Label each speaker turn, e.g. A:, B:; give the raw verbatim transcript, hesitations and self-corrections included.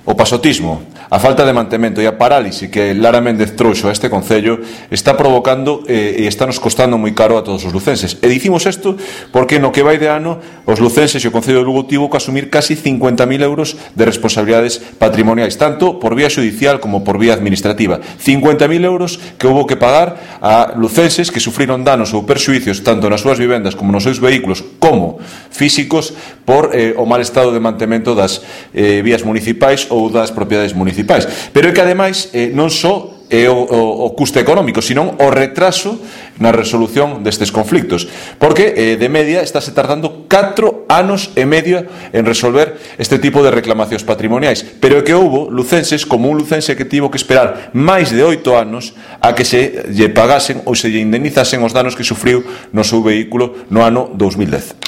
A: O pasotismo, a falta de mantemento e a parálise que Lara Méndez trouxo a este Concello está provocando eh, e está nos costando moi caro a todos os lucenses. E dicimos isto porque no que vai de ano os lucenses e o Concello de Lugo tivo que asumir casi cincuenta mil euros de responsabilidades patrimoniais, tanto por vía judicial como por vía administrativa. cincuenta mil euros que houve que pagar a lucenses que sufriron danos ou perxuicios tanto nas súas vivendas como nos seus vehículos como físicos por eh, o mal estado de mantemento das eh, vías municipais ou das propiedades municipais. Pero é que ademais eh, non só é o, o, o custe económico, senón o retraso na resolución destes conflictos, porque eh, de media estáse tardando catro anos e medio en resolver este tipo de reclamacións patrimoniais, pero é que houbo lucenses como un lucense que tivo que esperar máis de oito anos a que se lle pagasen ou se lle indemnizasen os danos que sufriu no seu vehículo no ano dous mil dez.